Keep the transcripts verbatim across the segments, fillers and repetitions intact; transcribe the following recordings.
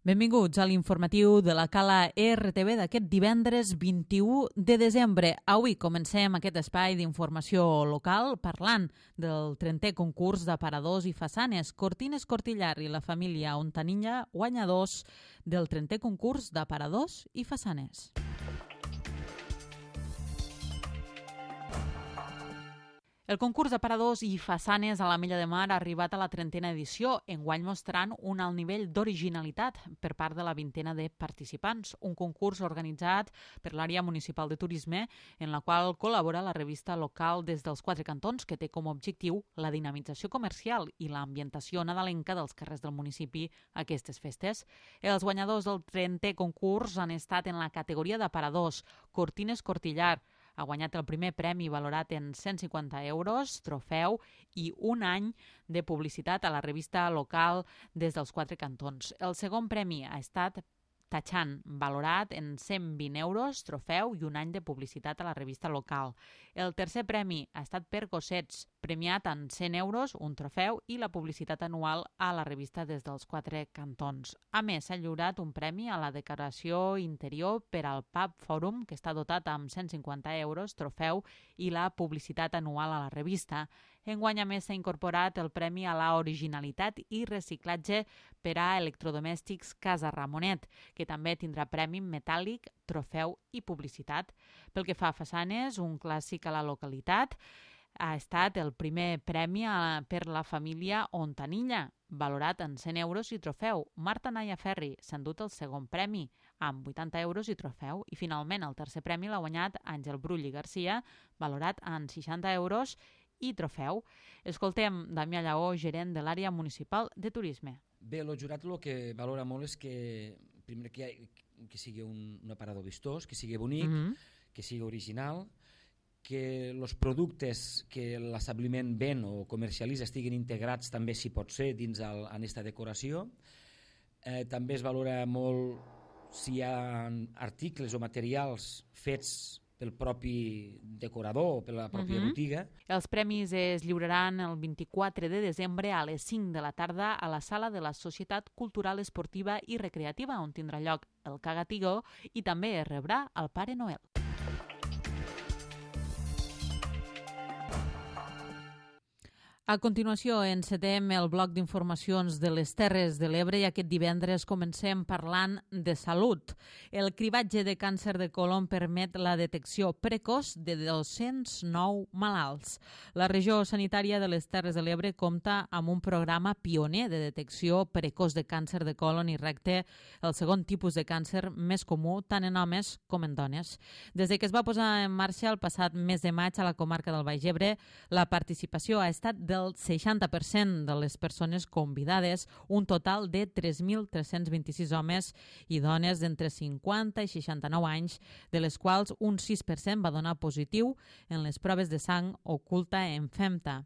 Benvinguts a l'informatiu de la Cala R T V d'aquest divendres vint-i-u de desembre. Avui comencem aquest espai d'informació local parlant del trentè concurs d'aparadors i façanes. Cortines Cortillar i la família Ontanilla, guanyadors del trentè concurs d'aparadors i façanes. El concurs d'aparadors i façanes a l'Ametlla de Mar ha arribat a la trentena edició, enguany mostrant un alt nivell d'originalitat per part de la vintena de participants. Un concurs organitzat per l'àrea municipal de turisme, en la qual col·labora la revista local des dels quatre cantons, que té com a objectiu la dinamització comercial i l'ambientació nadalenca dels carrers del municipi a aquestes festes. Els guanyadors del trentè concurs han estat en la categoria d'aparadors. Cortines Cortillar ha guanyat el primer premi valorat en cent cinquanta euros, trofeu i un any de publicitat a la revista local des dels quatre cantons. El segon premi ha estat Tachan, valorat en cent vint euros, trofeu i un any de publicitat a la revista local. El tercer premi ha estat per Gossets, premiat en cent euros, un trofeu i la publicitat anual a la revista des dels quatre cantons. A més, s'ha lliurat un premi a la decoració interior per al Pub Fòrum, que està dotat amb cent cinquanta euros, trofeu i la publicitat anual a la revista. Enguany, a més, s'ha incorporat el premi a la originalitat i reciclatge per a electrodomèstics Casa Ramonet, que també tindrà premi metàl·lic, trofeu i publicitat. Pel que fa a façanes, un clàssic a la localitat, ha estat el primer premi a, per la família Ontanilla, valorat en cent euros i trofeu. Marta Naya Ferri s'ha endut el segon premi, amb vuitanta euros i trofeu, i finalment el tercer premi l'ha guanyat Àngel Brull i Garcia, valorat en seixanta euros i trofeu. Escoltem Damià Lleó, gerent de l'àrea municipal de turisme. Bé, el jurat el que valora molt és que, primer, que, hi ha, que sigui un, un aparador vistós, que sigui bonic, mm-hmm. que sigui original, que els productes que l'establiment ven o comercialitza estiguin integrats també, si pot ser, dins el, en aquesta decoració. Eh, també es valora molt si hi ha articles o materials fets pel propi decorador o per la pròpia mm-hmm. botiga. Els premis es lliuraran el vint-i-quatre de desembre a les cinc de la tarda a la sala de la Societat Cultural Esportiva i Recreativa, on tindrà lloc el Cagatigó, i també es rebrà el Pare Noel. A continuació, encetem el bloc d'informacions de les Terres de l'Ebre i aquest divendres comencem parlant de salut. El cribatge de càncer de colon permet la detecció precoç de dos-cents nou malalts. La regió sanitària de les Terres de l'Ebre compta amb un programa pioner de detecció precoç de càncer de colon i recte, el segon tipus de càncer més comú tant en homes com en dones. Des de que es va posar en marxa el passat mes de maig a la comarca del Baix Ebre, la participació ha estat de el seixanta per cent de les persones convidades, un total de tres mil tres-cents vint-i-sis homes i dones d'entre cinquanta i seixanta-nou anys, de les quals un sis per cent va donar positiu en les proves de sang oculta en FEMTA.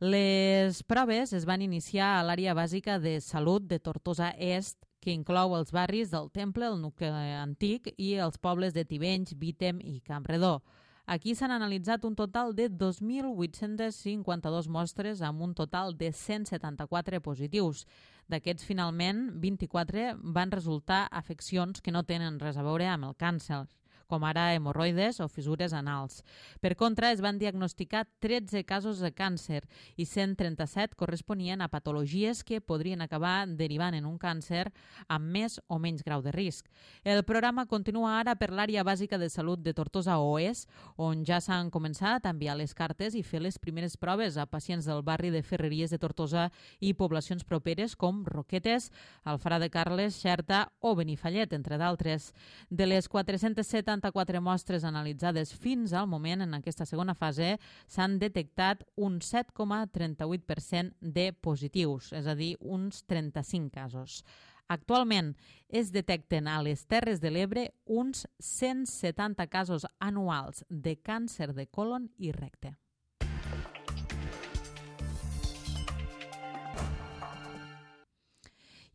Les proves es van iniciar a l'àrea bàsica de salut de Tortosa Est, que inclou els barris del Temple, el nucli antic i els pobles de Tivenys, Vítem i Campredó. Aquí s'han analitzat un total de dos mil vuit-cents cinquanta-dos mostres amb un total de cent setanta-quatre positius. D'aquests, finalment, vint-i-quatre van resultar afeccions que no tenen res a veure amb el càncer, com ara hemorroides o fissures anals. Per contra, es van diagnosticar tretze casos de càncer i cent trenta-set corresponien a patologies que podrien acabar derivant en un càncer amb més o menys grau de risc. El programa continua ara per l'àrea bàsica de salut de Tortosa Oest, on ja s'han començat a enviar les cartes i fer les primeres proves a pacients del barri de Ferreries de Tortosa i poblacions properes com Roquetes, Alfara de Carles, Xerta o Benifallet, entre d'altres. De les quatre-cents setanta-quatre mostres analitzades fins al moment en aquesta segona fase, s'han detectat un set coma trenta-vuit per cent de positius, és a dir, uns trenta-cinc casos. Actualment es detecten a les Terres de l'Ebre uns cent setanta casos anuals de càncer de colon i recte.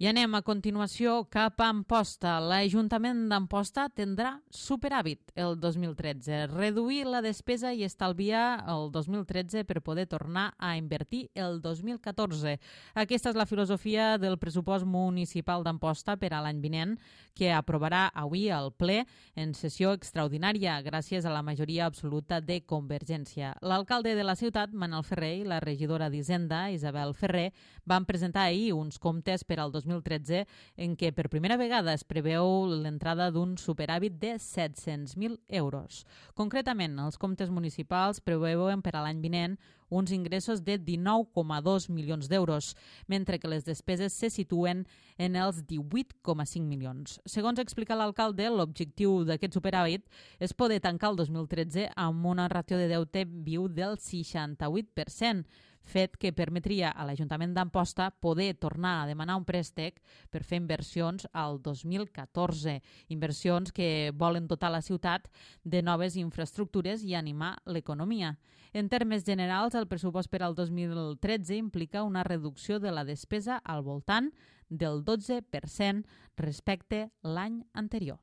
I anem a continuació cap a Amposta. L'Ajuntament d'Amposta tindrà superàvit el dos mil tretze. Reduir la despesa i estalviar el dos mil tretze per poder tornar a invertir el dos mil catorze. Aquesta és la filosofia del pressupost municipal d'Amposta per a l'any vinent, que aprovarà avui al ple en sessió extraordinària gràcies a la majoria absoluta de Convergència. L'alcalde de la ciutat, Manel Ferrer, i la regidora d'Hisenda, Isabel Ferrer, van presentar ahir uns comptes per al dos mil tretze en què per primera vegada es preveu l'entrada d'un superàvit de set-cents mil euros. Concretament, els comptes municipals preveuen per a l'any vinent uns ingressos de dinou coma dos milions d'euros, mentre que les despeses se situen en els divuit coma cinc milions. Segons explica l'alcalde, l'objectiu d'aquest superàvit és poder tancar el dos mil tretze amb una ràtio de deute viu del seixanta-vuit per cent, fet que permetria a l'Ajuntament d'Amposta poder tornar a demanar un préstec per fer inversions al dos mil catorze, inversions que volen dotar la ciutat de noves infraestructures i animar l'economia. En termes generals, el pressupost per al dos mil tretze implica una reducció de la despesa al voltant del dotze per cent respecte l'any anterior.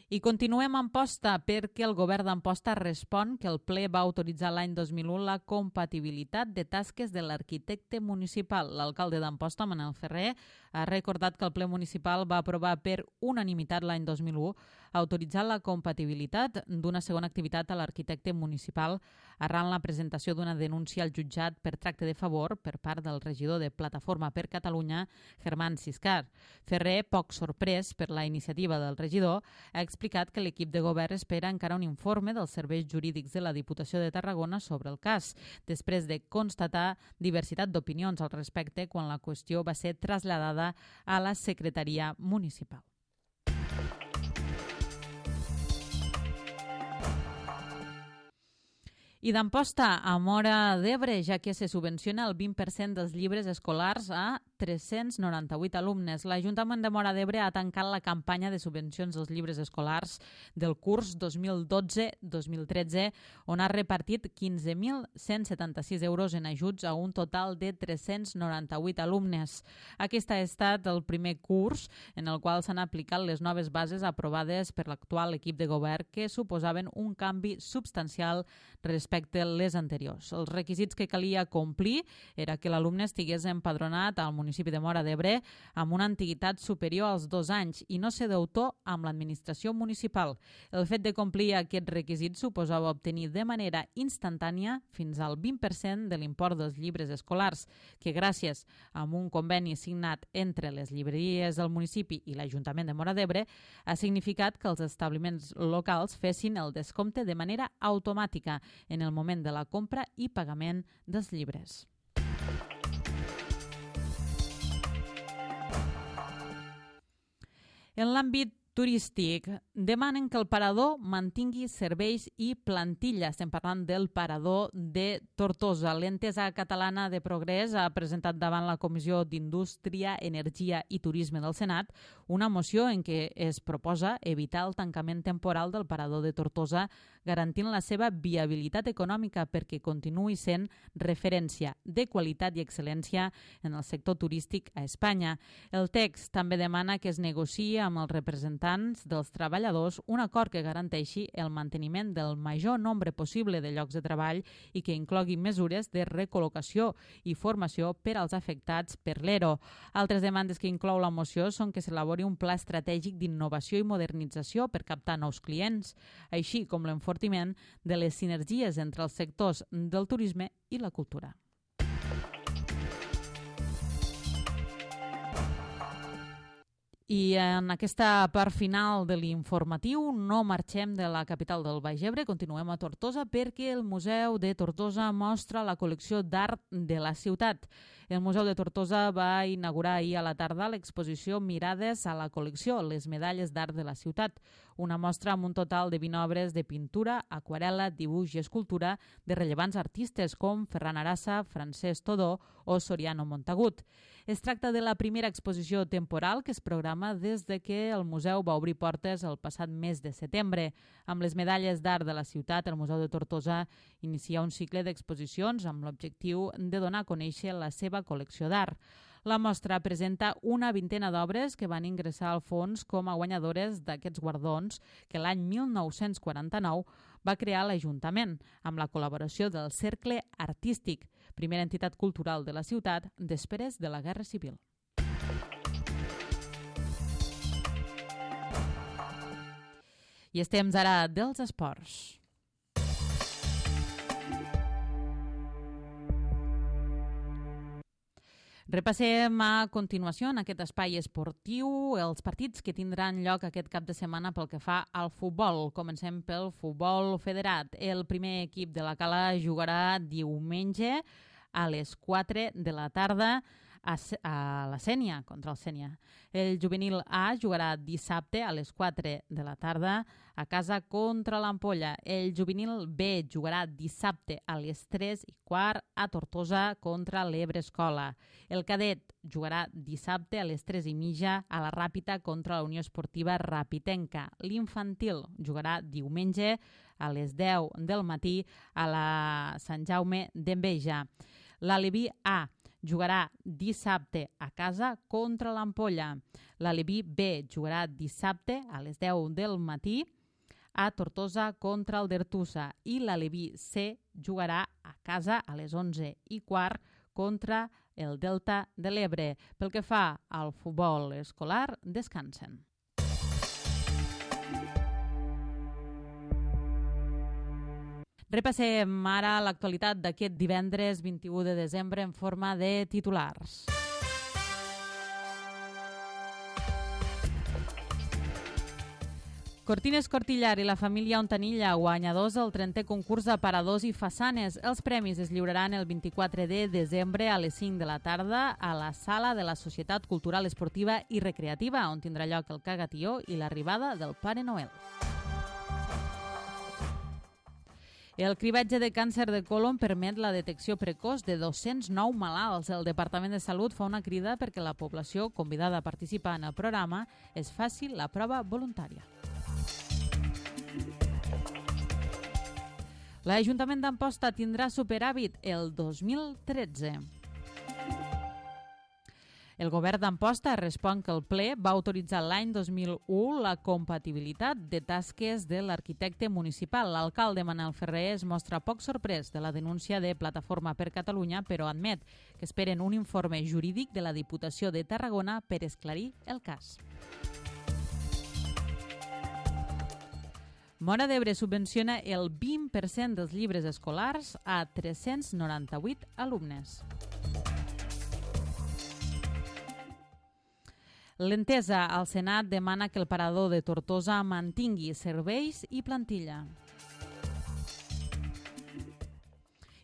I continuem a Amposta perquè el govern d'Amposta respon que el ple va autoritzar l'any dos mil u la compatibilitat de tasques de l'arquitecte municipal. L'alcalde d'Amposta, Manel Ferrer, ha recordat que el ple municipal va aprovar per unanimitat l'any dos mil u autoritzar la compatibilitat d'una segona activitat a l'arquitecte municipal arran la presentació d'una denúncia al jutjat per tracte de favor per part del regidor de Plataforma per Catalunya, Germán Ciscar. Ferrer, poc sorprès per la iniciativa del regidor, ha explicat que l'equip de govern espera encara un informe dels serveis jurídics de la Diputació de Tarragona sobre el cas, després de constatar diversitat d'opinions al respecte quan la qüestió va ser traslladada a la Secretaria Municipal. I d'Amposta a Móra d'Ebre, ja que se subvenciona el vint per cent dels llibres escolars a tres-cents noranta-vuit alumnes. L'Ajuntament de Móra d'Ebre ha tancat la campanya de subvencions dels llibres escolars del curs dos mil dotze dos mil tretze, on ha repartit quinze mil cent setanta-sis euros en ajuts a un total de tres-cents noranta-vuit alumnes. Aquest ha estat el primer curs en el qual s'han aplicat les noves bases aprovades per l'actual equip de govern, que suposaven un canvi substancial respecte a les anteriors. Els requisits que calia complir era que l'alumne estigués empadronat al municipi de Móra d'Ebre amb una antiguitat superior als dos anys i no ser deutor amb l'administració municipal. El fet de complir aquests requisits suposava obtenir de manera instantània fins al vint per cent de l'import dels llibres escolars, que gràcies a un conveni signat entre les llibreries del municipi i l'Ajuntament de Móra d'Ebre ha significat que els establiments locals fessin el descompte de manera automàtica en el moment de la compra i pagament dels llibres. En l'àmbit turístic, demanen que el parador mantingui serveis i plantilla. Estem parlant del parador de Tortosa. L'entesa catalana de Progrés ha presentat davant la Comissió d'Indústria, Energia i Turisme del Senat una moció en què es proposa evitar el tancament temporal del parador de Tortosa, garantint la seva viabilitat econòmica perquè continuï sent referència de qualitat i excel·lència en el sector turístic a Espanya. El text també demana que es negociï amb els representants dels treballadors un acord que garanteixi el manteniment del major nombre possible de llocs de treball i que inclogui mesures de recol·locació i formació per als afectats per l'ERO. Altres demandes que inclou la moció són que s'elabori un pla estratègic d'innovació i modernització per captar nous clients, així com l'enfortiment de les sinergies entre els sectors del turisme i la cultura. I en aquesta part final de l'informatiu no marxem de la capital del Baix Ebre, continuem a Tortosa perquè el Museu de Tortosa mostra la col·lecció d'art de la ciutat. El Museu de Tortosa va inaugurar ahir a la tarda l'exposició Mirades a la col·lecció, les medalles d'art de la ciutat, una mostra amb un total de vint obres de pintura, aquarel·la, dibuix i escultura de rellevants artistes com Ferran Arassa, Francesc Todó o Soriano Montagut. Es tracta de la primera exposició temporal que es programa des de que el museu va obrir portes el passat mes de setembre. Amb les medalles d'art de la ciutat, el Museu de Tortosa inicia un cicle d'exposicions amb l'objectiu de donar a conèixer la seva col·lecció d'art. La mostra presenta una vintena d'obres que van ingressar al fons com a guanyadores d'aquests guardons que l'any mil nou-cents quaranta-nou va crear l'Ajuntament, amb la col·laboració del Cercle Artístic, primera entitat cultural de la ciutat després de la Guerra Civil. I és temps ara dels esports. Repassem a continuació en aquest espai esportiu els partits que tindran lloc aquest cap de setmana pel que fa al futbol. Comencem pel futbol federat. El primer equip de la Cala jugarà diumenge a les quatre de la tarda a, a la Sénia, contra el Sénia. El juvenil A jugarà dissabte a les quatre de la tarda a casa contra l'Ampolla. El juvenil B jugarà dissabte a les tres i quart a Tortosa contra l'Ebre Escola. El cadet jugarà dissabte a les tres i mitja a la Ràpita contra la Unió Esportiva Rapitenca. L'infantil jugarà diumenge a les deu del matí a la Sant Jaume d'Enveja. L'Aleví A jugarà dissabte a casa contra l'Ampolla. L'Aleví B jugarà dissabte a les deu del matí a Tortosa contra el Dertusa i l'Aleví C jugarà a casa a les onze i quart contra el Delta de l'Ebre. Pel que fa al futbol escolar, descansen. Repassem ara l'actualitat d'aquest divendres vint-i-u de desembre en forma de titulars. Cortines Cortillar i la família Ontanilla, guanyadors del trentè concurs d'aparadors i façanes. Els premis es lliuraran el vint-i-quatre de desembre a les cinc de la tarda a la sala de la Societat Cultural Esportiva i Recreativa, on tindrà lloc el cagatió i l'arribada del Pare Noel. El cribatge de càncer de colon permet la detecció precoç de dos-cents nou malalts. El Departament de Salut fa una crida perquè la població convidada a participar en el programa es faci la prova voluntària. L'Ajuntament d'Amposta tindrà superàvit el dos mil tretze. El govern d'Amposta respon que el ple va autoritzar l'any dos mil u la compatibilitat de tasques de l'arquitecte municipal. L'alcalde Manel Ferrer es mostra poc sorprès de la denúncia de Plataforma per Catalunya, però admet que esperen un informe jurídic de la Diputació de Tarragona per esclarir el cas. Móra d'Ebre subvenciona el vint per cent dels llibres escolars a tres-cents noranta-vuit alumnes. L'Entesa al Senat demana que el parador de Tortosa mantingui serveis i plantilla.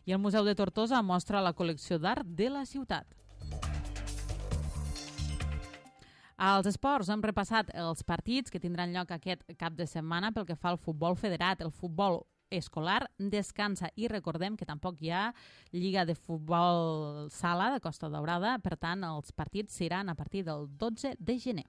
I el Museu de Tortosa mostra la col·lecció d'art de la ciutat. Als esports hem repassat els partits que tindran lloc aquest cap de setmana pel que fa al futbol federat. El futbol escolar descansa i recordem que tampoc hi ha Lliga de Futbol Sala de Costa Daurada, per tant els partits seran a partir del dotze de gener.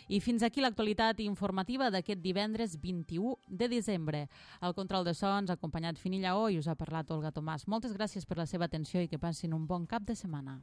I fins aquí l'actualitat informativa d'aquest divendres vint-i-u de desembre. Al control de so ens ha acompanyat Fini Lleó i us ha parlat Olga Tomàs. Moltes gràcies per la seva atenció i que passin un bon cap de setmana.